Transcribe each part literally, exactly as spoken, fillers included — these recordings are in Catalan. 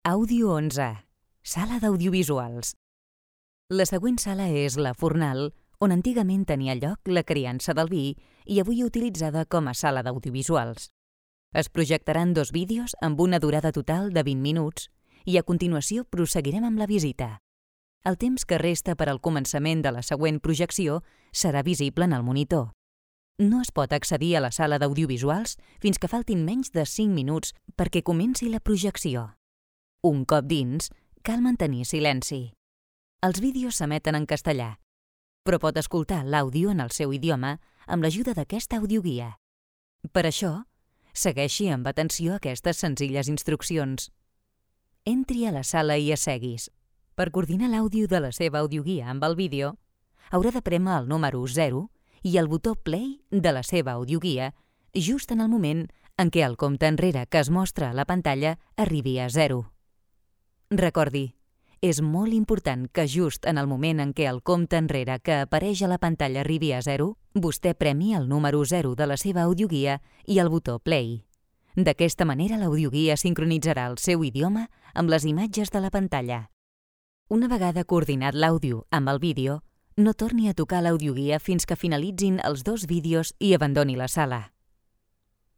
Àudio onze. Sala d'audiovisuals. La següent sala és la Fornal, on antigament tenia lloc la criança del vi i avui utilitzada com a sala d'audiovisuals. Es projectaran dos vídeos amb una durada total de vint minuts i a continuació prosseguirem amb la visita. El temps que resta per al començament de la següent projecció serà visible en el monitor. No es pot accedir a la sala d'audiovisuals fins que faltin menys de cinc minuts perquè comenci la projecció. Un cop dins, cal mantenir silenci. Els vídeos s'emeten en castellà, però pot escoltar l'àudio en el seu idioma amb l'ajuda d'aquesta audioguia. Per això, segueixi amb atenció aquestes senzilles instruccions. Entri a la sala i asseguis. Per coordinar l'àudio de la seva audioguia amb el vídeo, haurà de prémer el número zero i el botó play de la seva audioguia just en el moment en què el compte enrere que es mostra a la pantalla arribi a zero. Recordi, és molt important que just en el moment en què el compte enrere que apareix a la pantalla arribi a zero, vostè premi el número zero de la seva audioguia i el botó play. D'aquesta manera l'audioguia sincronitzarà el seu idioma amb les imatges de la pantalla. Una vegada coordinat l'àudio amb el vídeo, no torni a tocar l'audioguia fins que finalitzin els dos vídeos i abandoni la sala.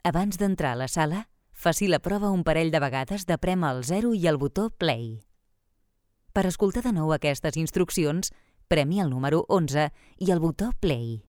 Abans d'entrar a la sala, faci la prova un parell de vegades de prémer el zero i el botó play. Per escoltar de nou aquestes instruccions, premi el número onze i el botó play.